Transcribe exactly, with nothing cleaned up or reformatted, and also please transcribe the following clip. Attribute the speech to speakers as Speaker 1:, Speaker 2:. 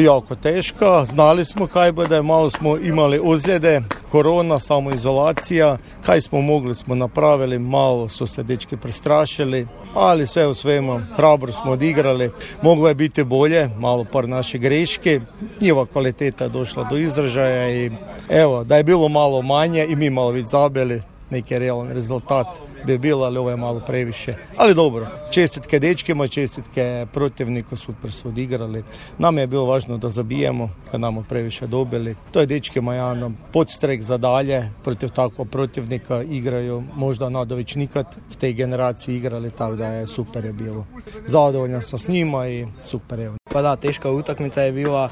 Speaker 1: Jako teška, znali smo kaj bude, malo smo imali ozljede, korona, samoizolacija, kaj smo mogli smo napravili, malo su se dečki prestrašili, ali sve u svemu hrabro smo odigrali, moglo je biti bolje, malo par naše greške, njihova kvaliteta je došla do izražaja i evo, da je bilo malo manje i mi malo već zabili, neki realan rezultat bi bilo, ali ovo je malo previše. Ali dobro, čestitke dečkima, čestitke protivniku, super su odigrali. Nam je bilo važno da zabijemo, kad nam previše dobili. To je dečkima jedan podstrek za dalje, protiv takvog protivnika igraju, možda Nadović nikad v tej generaciji igrali, tako da je super je bilo. Zadovoljan sam s njima i super je.
Speaker 2: Pa da, teška utakmica je bila,